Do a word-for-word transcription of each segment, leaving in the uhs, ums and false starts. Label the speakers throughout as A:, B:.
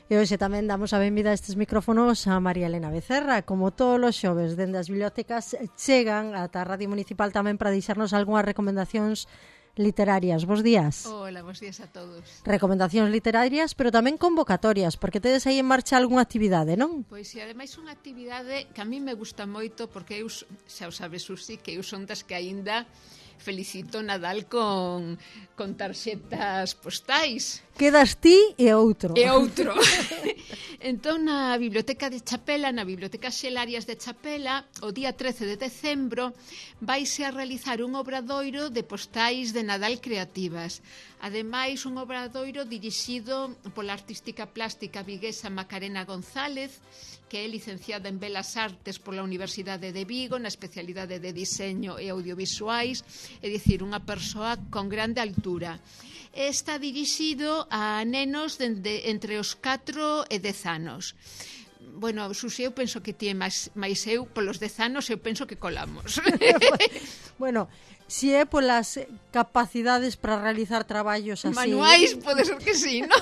A: E hoxe tamén damos a benvida a estes micrófonos a María Elena Becerra. Como todos os xoves, dende as bibliotecas chegan ata a Radio Municipal tamén para deixarnos algunhas recomendacións literarias. Bos días.
B: Hola, bos días a todos.
A: Recomendacións literarias, pero tamén convocatorias, porque tedes aí en marcha algunha actividade, non?
B: Pois e ademais unha actividade que a mí me gusta moito, porque eu, xa o sabes, Susi, que eu son das que aínda felicito Nadal con, con tarxetas postais.
A: Quedas ti e outro.
B: E outro. Entón, na Biblioteca de Chapela, na Biblioteca Xelarias de Chapela, o día trece de decembro, vaise a realizar un obradoiro de postais de Nadal creativas. Ademais, un obradoiro dirixido pola artística plástica viguesa Macarena González, que é licenciada en Belas Artes pola Universidade de Vigo, na especialidade de Diseño e Audiovisuais, é dicir, unha persoa con grande altura. Está dirixido a nenos dende entre os catro e dez anos. Bueno, Susi, eu penso que ti máis, máis eu, polos dez anos, eu penso que colamos.
A: Bueno, si é polas capacidades para realizar traballos así...
B: Manuais, pode ser que sí, non?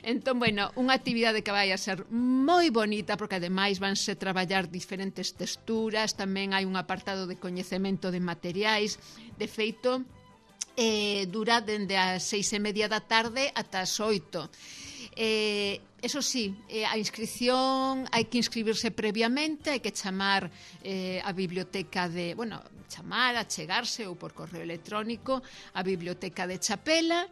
B: Entón, bueno, unha actividade que vai a ser moi bonita, porque ademais vanse traballar diferentes texturas, tamén hai un apartado de coñecemento de materiais. De feito, eh, dura dende as seis e media da tarde ata as oito. Eh, eso sí, eh, a inscripción hai que inscribirse previamente, hai que chamar eh, a biblioteca de, bueno, chamar, achegarse ou por correo electrónico a biblioteca de Chapela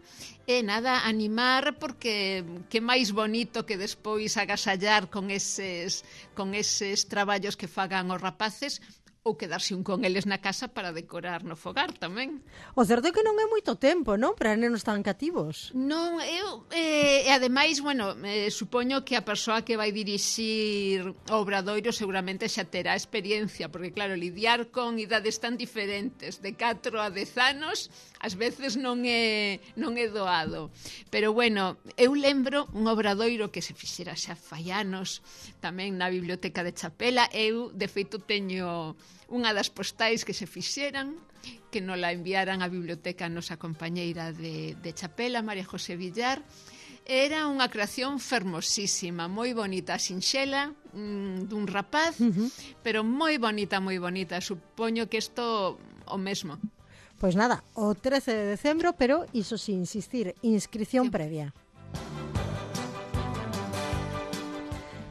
B: e nada, animar, porque que máis bonito que despois agasallar con eses, con eses traballos que fagan os rapaces, ou quedarse un con eles na casa para decorar no fogar tamén.
A: O certo é que non é moito tempo, non? Para nenos tan cativos.
B: Non, eu, eh, e ademais, bueno, eh, supoño que a persoa que vai dirixir o obradoiro seguramente xa terá experiencia, porque claro, lidiar con idades tan diferentes, de catro a dez anos, ás veces non é, non é doado. Pero bueno, eu lembro un obradoiro que se fixera xa fai anos, tamén na Biblioteca de Chapela. Eu, de feito, teño unha das postais que se fixeran, que nos la enviaran á biblioteca a nosa compañeira de, de Chapela, María José Villar. Era unha creación fermosísima, moi bonita, sinxela, mm, dun rapaz, uh-huh. pero moi bonita, moi bonita. Supoño que isto o mesmo.
A: Pois nada, o trece de decembro, pero iso sí, insistir, inscripción sí. previa.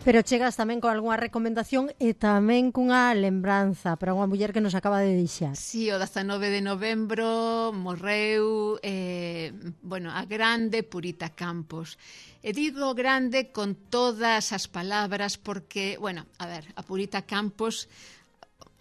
A: Pero chegas tamén con algunha recomendación e tamén cunha lembranza para unha muller que nos acaba de deixar.
B: Sí, o dezanove de novembro morreu eh, bueno, a grande Purita Campos. E digo grande con todas as palabras porque, bueno, a ver, a Purita Campos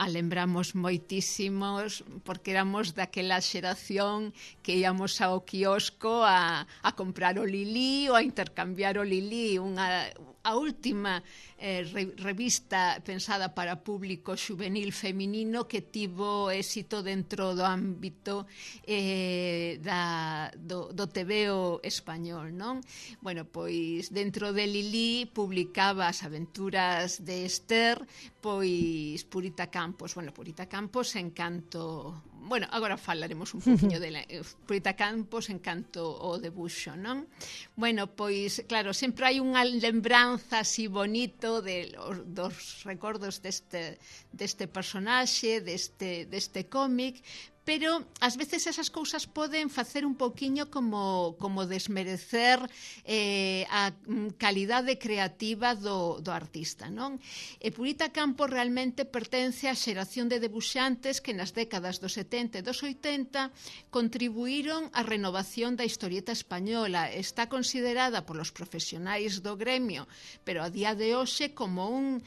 B: a lembramos moitísimos porque éramos daquela xeración que íamos ao quiosco a, a comprar o Lili ou a intercambiar o Lili, unha, a última eh, re, revista pensada para público juvenil feminino que tivo éxito dentro do ámbito eh, da, do, do tebeo español, non? Bueno, pois dentro de Lili publicaba as aventuras de Esther, pois Purita Campos, bueno, Purita Campos encanto, bueno, agora falaremos un poquinho dela. Purita Campos encanto o debuxo, non? Bueno, pois, claro, sempre hai unha lembranza así bonito de los, dos recordos deste, deste personaxe, deste, deste cómic, pero ás veces esas cousas poden facer un poquinho como, como desmerecer eh, a calidade creativa do, do artista, non? E Purita Campos realmente pertence á xeración de debuxantes que nas décadas dos setenta e dos oitenta contribuíron á renovación da historieta española. Está considerada polos profesionais do gremio, pero a día de hoxe como un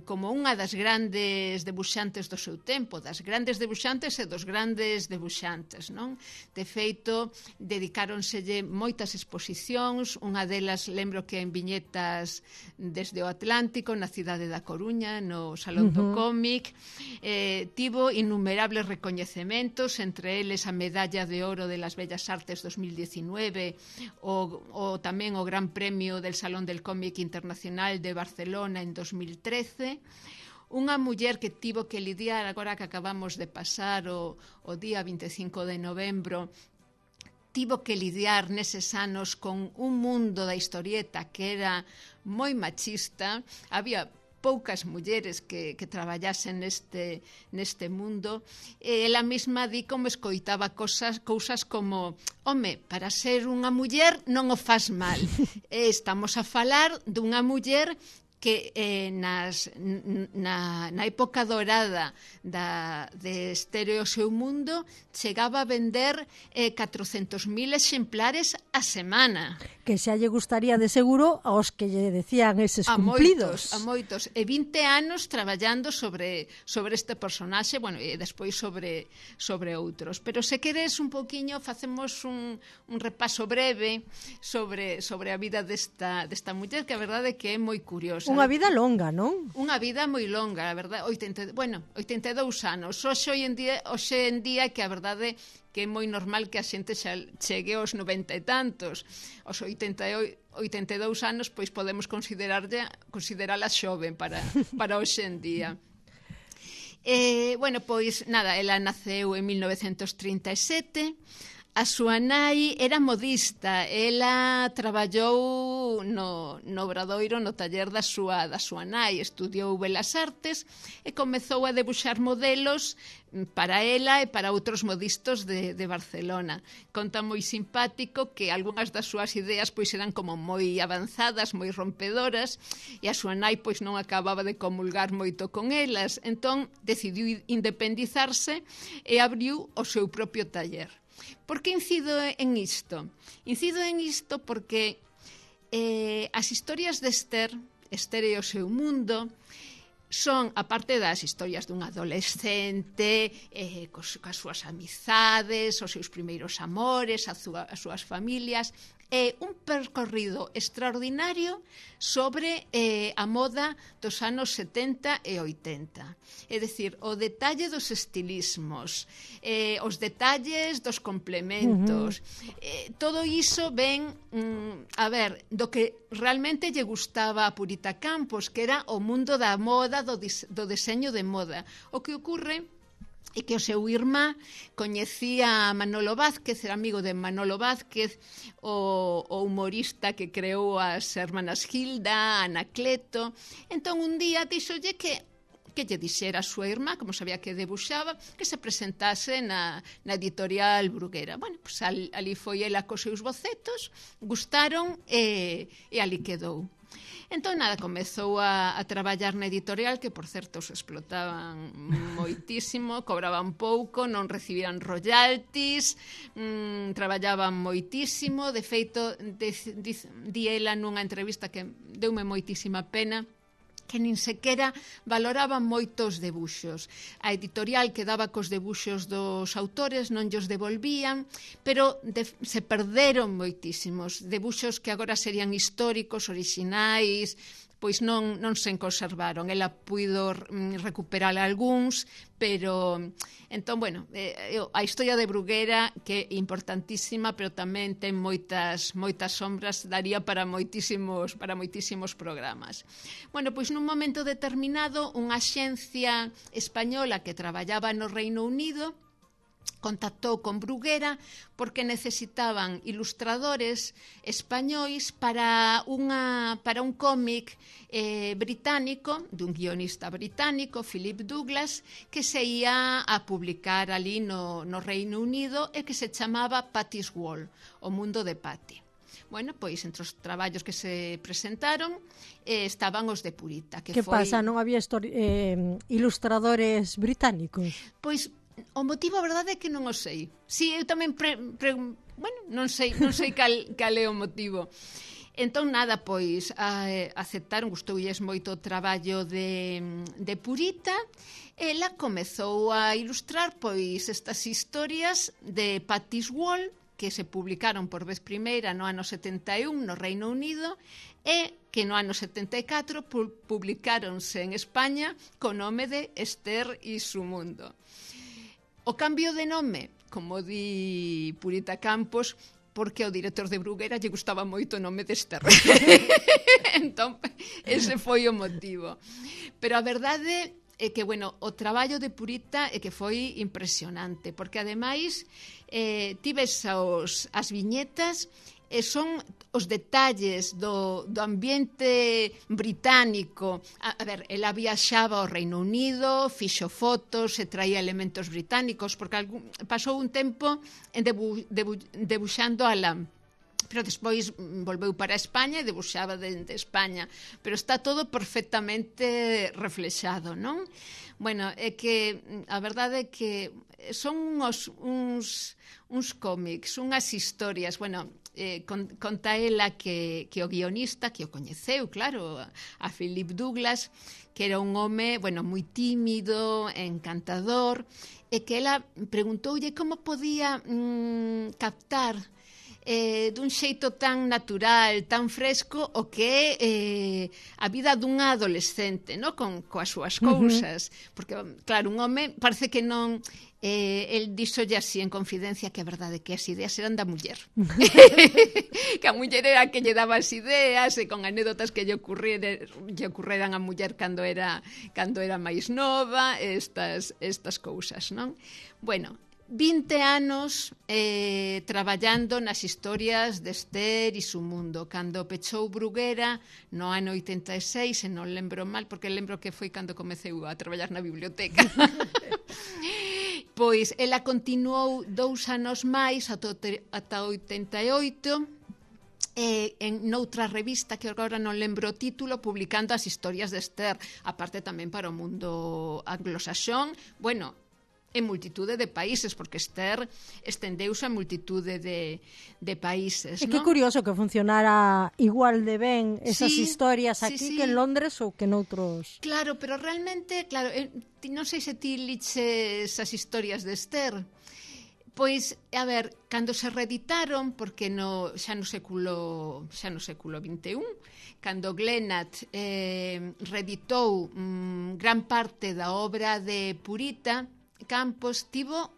B: como unha das grandes debuxantes do seu tempo, das grandes debuxantes e dos grandes debuxantes, non? De feito, dedicáronselle moitas exposicións, unha delas lembro que en viñetas desde o Atlántico, na cidade da Coruña, no Salón do uh-huh. Cómic, eh, tivo innumerables recoñecementos, entre eles a Medalla de Oro de las Bellas Artes dos mil diecinueve, o, o tamén o Gran Premio del Salón del Cómic Internacional de Barcelona en dos mil trece. Unha muller que tivo que lidiar agora que acabamos de pasar o, o día vinte e cinco de novembro tivo que lidiar neses anos con un mundo da historieta que era moi machista, había poucas mulleres que, que traballasen neste, neste mundo, e ela mesma di como escoitaba cosas, cousas como home, para ser unha muller non o faz mal. E estamos a falar dunha muller que eh, nas, na, na época dorada da, de Estéreo Seu Mundo chegaba a vender eh, catrocentos mil exemplares a semana.
A: Que xa lle gustaría de seguro aos que lle decían eses
B: a
A: cumplidos.
B: Moitos, a moitos. E vinte anos traballando sobre, sobre este personaxe, bueno, e despois sobre, sobre outros. Pero se queres un poquinho, facemos un, un repaso breve sobre, sobre a vida desta, desta muller, que a verdade é que é moi curiosa.
A: Unha vida longa, non?
B: Unha vida moi longa, a verdade, oitenta, bueno, oitenta e dous anos. Hoxe en día, hoxe en día que a verdade que é moi normal que a xente xa chegue aos noventa e tantos. Os oitenta e dous anos, pois podemos considerarla, considerala xoven para, para hoxe en día. Eh, bueno, pois, nada, ela naceu en mil novecentos trinta e sete. A súa nai era modista, ela traballou no, no obradoiro, no taller da súa, da súa nai, estudiou Belas Artes e comezou a debuxar modelos para ela e para outros modistas de, de Barcelona. Conta moi simpático que algunhas das súas ideas pois eran como moi avanzadas, moi rompedoras, e a súa nai pois non acababa de comulgar moito con elas, entón decidiu independizarse e abriu o seu propio taller. Por que incido en isto? Incido en isto porque eh, as historias de Esther, Esther e o seu mundo, son, aparte das historias dun adolescente, eh, cos, cas súas amizades, os seus primeiros amores, as, súa, as súas familias, é un percorrido extraordinario sobre eh, a moda dos anos setenta e oitenta. É dicir, o detalle dos estilismos, eh, os detalles dos complementos, uh-huh. eh, todo iso ven, mm, a ver, do que realmente lle gustaba a Purita Campos, que era o mundo da moda, do, dis, do deseño de moda. O que ocurre e que o seu irmá coñecía a Manolo Vázquez, era amigo de Manolo Vázquez, o, o humorista que creou as hermanas Gilda, Anacleto. Entón un día díxolle que que lle dixera a súa irmá, como sabía que debuxaba, que se presentase na, na editorial Bruguera. Bueno, pues al, ali foi ela cos seus bocetos, gustaron e, e ali quedou. Entón, nada, comezou a, a traballar na editorial, que, por certo, se explotaban moitísimo, cobraban pouco, non recibían royalties, mmm, traballaban moitísimo. De feito, de, de, di ela nunha entrevista que deume moitísima pena, que nin sequera valoraban moitos debuxos. A editorial quedaba cos debuxos dos autores, non llos devolvían, pero de, se perderon moitísimos debuxos que agora serían históricos, orixinais, pois non, non se conservaron. Ela puido recuperar algúns, pero entón, bueno, eh, a historia de Bruguera, que é importantísima, pero tamén ten moitas moitas sombras, daría para moitísimos para moitísimos programas. Bueno, pois nun momento determinado, unha axencia española que traballaba no Reino Unido contactou con Bruguera porque necesitaban ilustradores españois para unha para un cómic eh, británico, dun guionista británico, Philip Douglas, que se ia a publicar ali no, no Reino Unido e que se chamaba Patty's World, o mundo de Patty. Bueno, pois entre os traballos que se presentaron eh, estaban os de Purita. Que,
A: que
B: foi...
A: pasa? Non había eh, ilustradores británicos?
B: Pois o motivo, a verdade, é que non o sei. Si, eu tamén pre, pre, bueno, non sei, non sei cal, cal é o motivo. Entón, nada, pois, a, aceptaron, gustoulles moito o traballo de, de Purita. Ela comezou a ilustrar, pois, estas historias de Patty's World, que se publicaron por vez primeira no ano setenta e un no Reino Unido, e que no ano setenta e catro publicáronse en España co nome de Esther e su mundo. O cambio de nome, como di Purita Campos, porque ao director de Bruguera lle gustaba moito o nome de Esther. Entón, ese foi o motivo. Pero a verdade é que, bueno, o traballo de Purita é que foi impresionante, porque ademais eh, tives os, as viñetas e son os detalles do, do ambiente británico. A, a ver, ela viaxaba ao Reino Unido, fixo fotos e traía elementos británicos, porque algún, pasou un tempo en debu, debu, debuxando a Lam, pero despois volveu para España e debuxaba dende España, pero está todo perfectamente reflexado, non? Bueno, é que a verdade é que son uns, uns, uns cómics, unhas historias, bueno, eh, conta ela que, que o guionista, que o coñeceu, claro, a Philip Douglas, que era un home, bueno, moi tímido, encantador, e que ela preguntoulle como podía mm, captar eh, dun xeito tan natural, tan fresco, o que é eh, a vida dunha adolescente, no? Con coas súas cousas. Uh-huh. Porque, claro, un home parece que non... Eh, el díxolle así en confidencia que a verdade que as ideas eran da muller. Que a muller era que lle daba as ideas e con anécdotas que lle ocurriran, lle ocurreran a muller cando era, cando era máis nova, estas, estas cousas, non? Bueno, vinte anos eh, traballando nas historias de Esther e su mundo. Cando pechou Bruguera no ano oitenta e seis, e non lembro mal, porque lembro que foi cando comeceu a traballar na biblioteca. Pois ela continuou dous anos máis ata oitenta e oito, eh, en noutra revista que agora non lembro o título, publicando as historias de Esther, aparte tamén para o mundo anglosaxón, bueno, en multitude de países, porque Esther estendeuse a multitude de, de países.
A: É que curioso que funcionara igual de ben esas
B: sí,
A: historias aquí
B: sí, sí.
A: que en Londres ou que noutros...
B: Claro, pero realmente, claro, eh, non sei se ti liches as historias de Esther. Pois, a ver, cando se reeditaron, porque no, xa no século xa no século vinte e un, cando Glenat eh, reeditou mm, gran parte da obra de Purita Campos, tivo,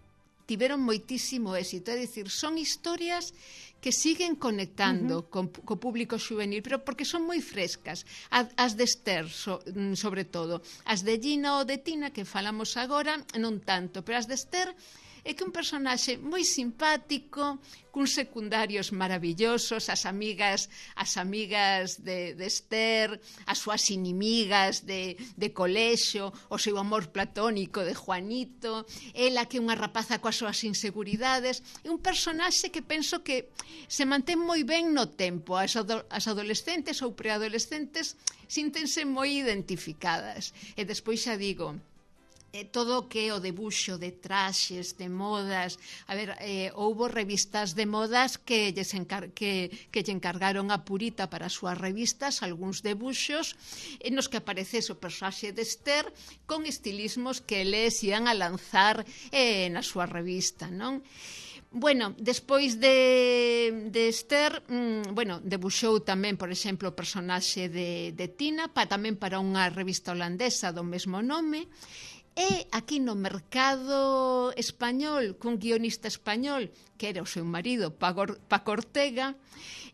B: tiveron moitísimo éxito, é dicir, son historias que siguen conectando uh-huh. con, co público juvenil, pero porque son moi frescas. As, as de Esther, so, sobre todo. As de Gina ou de Tina, que falamos agora, non tanto, pero as de Esther é que un personaxe moi simpático, cuns secundarios maravillosos, as amigas as amigas de, de Esther, as súas inimigas de, de colexio, o seu amor platónico de Juanito, ela que é unha rapaza coas súas inseguridades, é un personaxe que penso que se mantén moi ben no tempo. As, ado, as adolescentes ou preadolescentes síntense moi identificadas. E despois xa digo, Eh, todo o que é o debuxo de traxes, de modas. A ver, eh, houbo revistas de modas que lles encar que, que lle encargaron a Purita para as súas revistas algúns debuxos en nos que aparecese o personaxe de Esther con estilismos que eles ian a lanzar eh, na súa revista, non? Bueno, despois de, de Esther, mmm, bueno, debuxou tamén, por exemplo, o personaxe de, de Tina, pa, tamén para unha revista holandesa do mesmo nome. E aquí no mercado español, cun guionista español, que era o seu marido, Paco Ortega,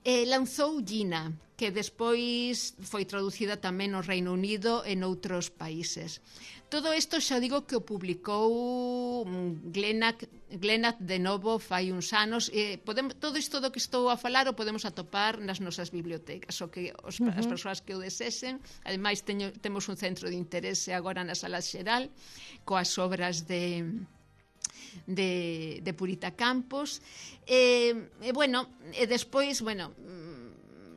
B: eh, lanzou Gina, que despois foi traducida tamén no Reino Unido e noutros países. Todo isto xa digo que o publicou Glenat, Glenat de novo fai uns anos. Eh, podemos, todo isto do que estou a falar o podemos atopar nas nosas bibliotecas, o que os, uh-huh. as persoas que o desesen. Ademais, teño, temos un centro de interese agora na Sala Xeral coas obras de... de, de Purita Campos. E, e bueno, e despois, bueno,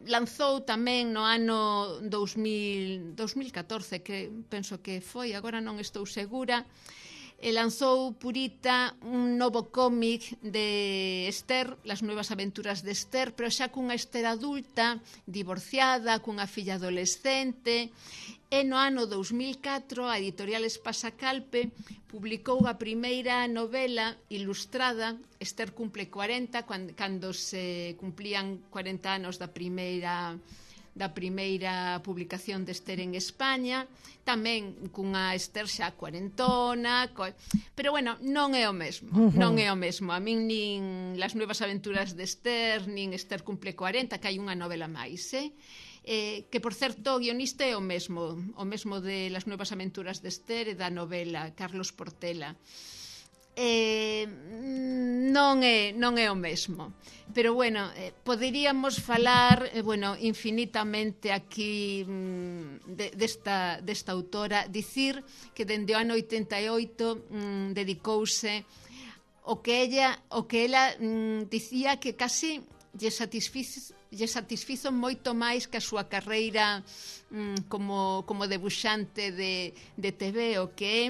B: lanzou tamén no ano dous mil catorce, que penso que foi, agora non estou segura, e lanzou Purita un novo cómic de Esther, Las nuevas aventuras de Esther, pero xa cunha Esther adulta, divorciada, cunha filla adolescente. E no ano dous mil catro a editorial Espasacalpe publicou a primeira novela ilustrada. Esther cumple cuarenta, cando se cumplían cuarenta anos da primeira da primeira publicación de Esther en España, tamén cunha Esther xa cuarentona, co... pero bueno, non é o mesmo, uh-huh. non é o mesmo. A min nin Las nuevas aventuras de Esther, nin Esther cumple cuarenta, que hai unha novela máis, eh? eh, que, por certo, o guionista é o mesmo, o mesmo de Las Nuevas Aventuras de Esther e da novela, Carlos Portela. Eh, non é non é o mesmo, pero bueno, eh, poderíamos falar eh, bueno, infinitamente aquí mm, de, desta, desta autora, dicir que dende o ano oitenta e oito mm, dedicouse o que ella o que ela mm, dicía que casi lle satisfizo, lle satisfizo moito máis que a súa carreira mm, como, como debuxante de, de T V, o que é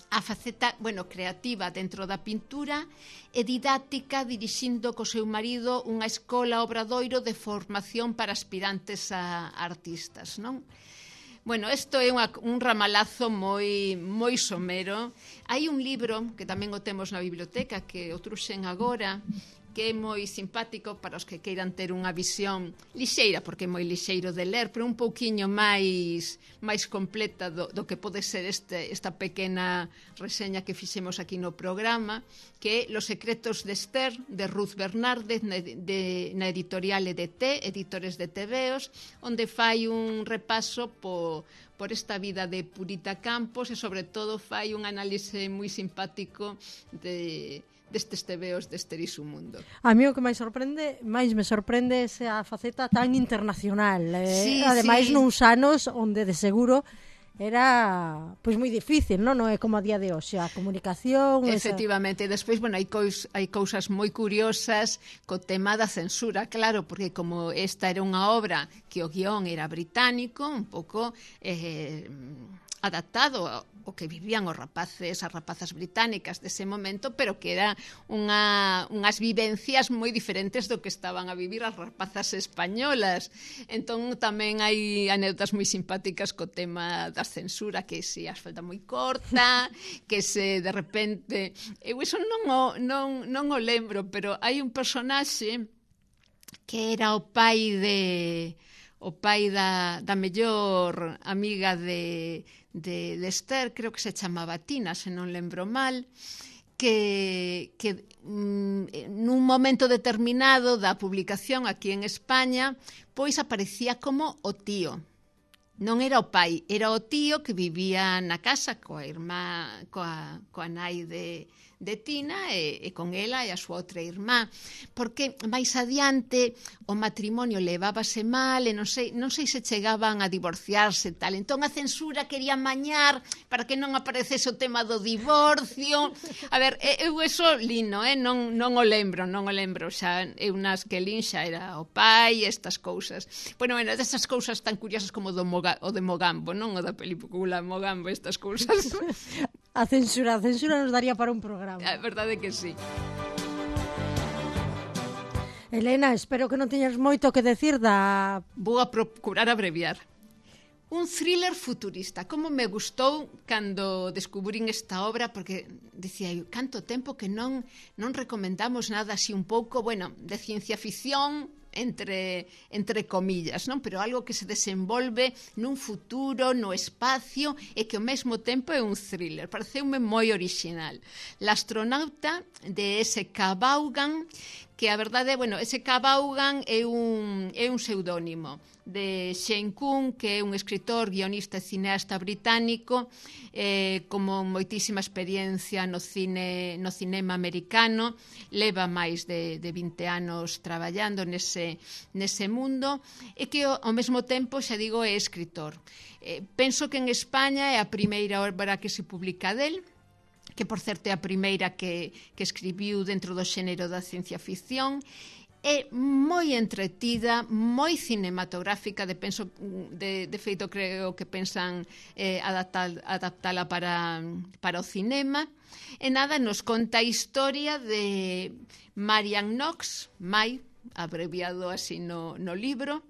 B: a faceta, bueno, creativa dentro da pintura e didáctica, dirixindo co seu marido unha escola obradoiro de formación para aspirantes a artistas, non? Bueno, isto é unha, un ramalazo moi moi somero. Hai un libro que tamén o temos na biblioteca, que o truxen agora, que é moi simpático para os que queiran ter unha visión lixeira, porque é moi lixeiro de ler, pero un pouquiño máis máis completa do, do que pode ser este, esta pequena reseña que fixemos aquí no programa, que é Los secretos de Esther, de Ruth Bernárdez, na, de, na editorial E D T, Editores de Tebeos, onde fai un repaso po, por esta vida de Purita Campos e, sobre todo, fai un análise moi simpático de destes tebeos de Esther e su mundo.
A: A mí o que máis sorprende, máis me sorprende esa faceta tan internacional. Eh?
B: Sí,
A: Ademais,
B: sí.
A: nuns anos onde de seguro era pois moi difícil, non? Non é como a día de hoxe, a comunicación...
B: Efectivamente, esa... despois, bueno, hai, cois, hai cousas moi curiosas co tema da censura, claro, porque como esta era unha obra que o guión era británico, un pouco eh, adaptado o que vivían os rapaces, as rapazas británicas dese momento, pero que era unha, unhas vivencias moi diferentes do que estaban a vivir as rapazas españolas. Entón tamén hai anécdotas moi simpáticas co tema da censura, que se as falta moi corta, que se de repente... Eu iso non o, non, non o lembro, pero hai un personaxe que era o pai de... o pai da, da mellor amiga de, de, de Esther, creo que se chamaba Tina, se non lembro mal, que, que mm, nun momento determinado da publicación aquí en España, pois aparecía como o tío. Non era o pai, era o tío que vivía na casa coa irmá, coa, coa nai de, de Tina e, e con ela e a súa outra irmá, porque máis adiante o matrimonio levábase mal e non sei, non sei se chegaban a divorciarse e tal, entón a censura quería mañar para que non aparecese o tema do divorcio. A ver, eu eso lino, eh? non, non o lembro, non o lembro, xa eu nas que lin xa era o pai, estas cousas. Bueno, bueno, destas cousas tan curiosas como do Moga, o de Mogambo, non o da película Mogambo, estas cousas.
A: A censura, a censura nos daría para un programa.
B: A verdade que sí.
A: Elena, espero que non teñas moito que decir da...
B: Vou a procurar abreviar. Un thriller futurista. Como me gustou cando descubrín esta obra, porque dicía eu, canto tempo que non non recomendamos nada así un pouco, bueno, de ciencia ficción, entre, entre comillas, non? Pero algo que se desenvolve nun futuro, no espacio, e que ao mesmo tempo é un thriller. Pareceume moi original. La astronauta, de S K Vaughan, que a verdade, bueno, S K Vaughan é un, é un pseudónimo de Shane Coon, que é un escritor, guionista e cineasta británico, eh, como moitísima experiencia no cine no cinema americano, leva máis de, de vinte anos traballando nese, nese mundo, e que ao mesmo tempo, xa digo, é escritor. Eh, penso que en España é a primeira obra que se publica del, que por certo é a primeira que, que escribiu dentro do xénero da ciencia ficción. É moi entretida, moi cinematográfica, de, penso, de, de feito creo que pensan eh, adaptar, adaptala para, para o cinema. E nada, nos conta a historia de Marian Knox, Mai, abreviado así no, no libro,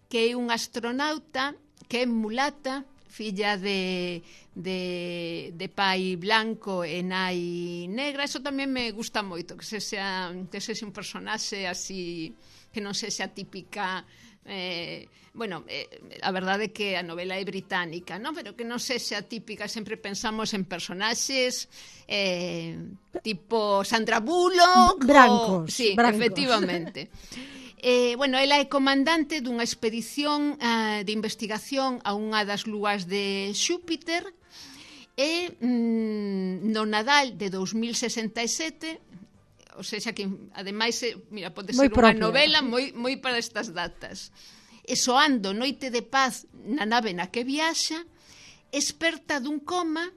B: que é un astronauta que é mulata, filla de, de, de pai blanco e nai negra. Eso tamén me gusta moito, que se sea, que se sea un personaxe así, que non se sea típica... Eh, bueno, eh, a verdade é que a novela é británica, ¿no? Pero que non se sea típica, sempre pensamos en personaxes eh, tipo Sandra Bullock,
A: brancos,
B: o... sí,
A: brancos.
B: efectivamente. Eh, bueno, ela é comandante dunha expedición uh, de investigación a unha das luas de Xúpiter e mm, no Nadal de dous mil sesenta e sete, ou seja, que ademais, mira, pode ser unha novela moi, moi para estas datas. E soando Noite de Paz na nave na que viaxa, experta dun coma,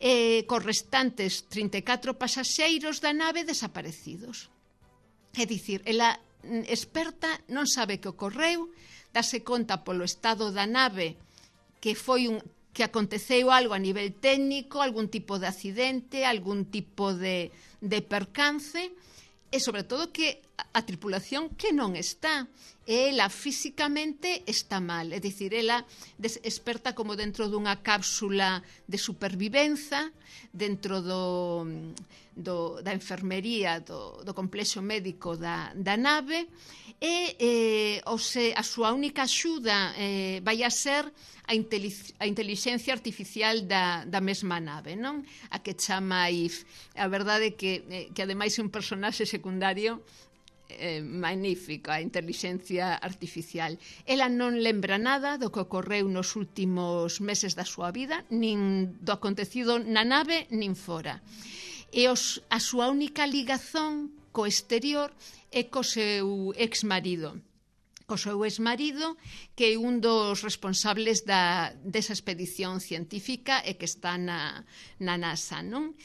B: eh, cos restantes trinta e catro pasaxeiros da nave desaparecidos. É dicir, ela experta non sabe que ocorreu, dase conta polo estado da nave que foi un que aconteceu algo a nivel técnico, algún tipo de accidente, algún tipo de, de percance, e sobre todo que a, a tripulación que non está, ela físicamente está mal, é dicir, ela des, experta como dentro dunha cápsula de supervivenza, dentro do, do, da enfermería do, do complexo médico da, da nave, e eh, o se, a súa única axuda eh, vai a ser a, a intelixencia artificial da, da mesma nave, non? A que chama I F. A verdade é que, eh, que ademais é un personaxe secundario eh, magnífico, a intelixencia artificial. Ela non lembra nada do que ocorreu nos últimos meses da súa vida, nin do acontecido na nave, nin fora. E os, a súa única ligazón co exterior é co seu exmarido. Co seu exmarido, que é un dos responsables da, desa expedición científica e que está na, na NASA, non?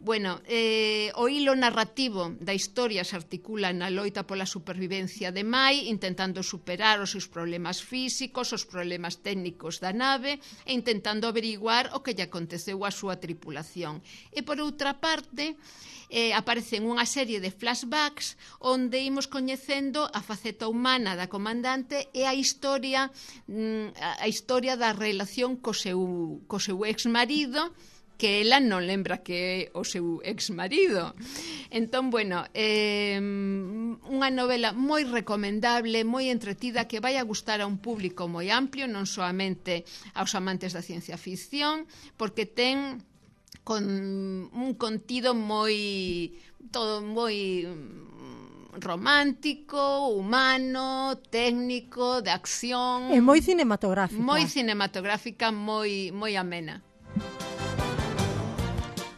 B: Bueno, eh, o hilo narrativo da historia se articula na loita pola supervivencia de Mai, intentando superar os seus problemas físicos, os problemas técnicos da nave e intentando averiguar o que lle aconteceu á súa tripulación. E por outra parte, eh, aparecen unha serie de flashbacks onde imos coñecendo a faceta humana da comandante e a historia a historia da relación co seu, co seu exmarido, que ela non lembra que é o seu exmarido. Entón, bueno, eh, unha novela moi recomendable, moi entretida, que vai a gustar a un público moi amplio, non soamente aos amantes da ciencia ficción, porque ten con un contido moi todo moi romántico, humano, técnico, de acción.
A: É moi cinematográfica.
B: Moi cinematográfica, moi moi amena.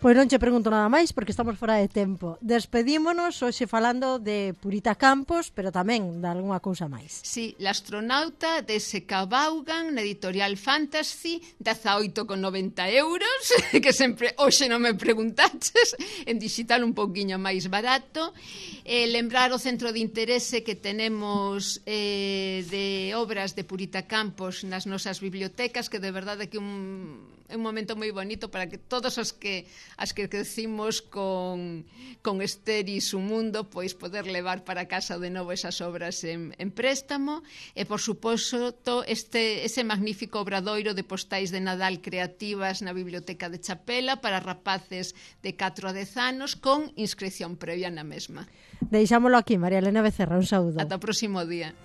A: Pois non che pregunto nada máis porque estamos fora de tempo. Despedímonos hoxe falando de Purita Campos, pero tamén de algunha cousa máis.
B: Sí, l'astronauta de S K Vaughan, na editorial Fantasy, dezaoito con noventa euros, que sempre hoxe non me preguntaches, en digital un pouquiño máis barato. Eh, lembrar o centro de interese que tenemos eh, de obras de Purita Campos nas nosas bibliotecas, que de verdade que un, é un momento moi bonito para que todos os que as que crecimos con, con Esther e su mundo, pois poder levar para casa de novo esas obras en, en préstamo, e por suposto este, ese magnífico obradoiro de postais de Nadal creativas na Biblioteca de Chapela para rapaces de catro a dez anos con inscripción previa na mesma.
A: Deixámolo aquí, María Elena Becerra, un saúdo.
B: Ata o próximo día.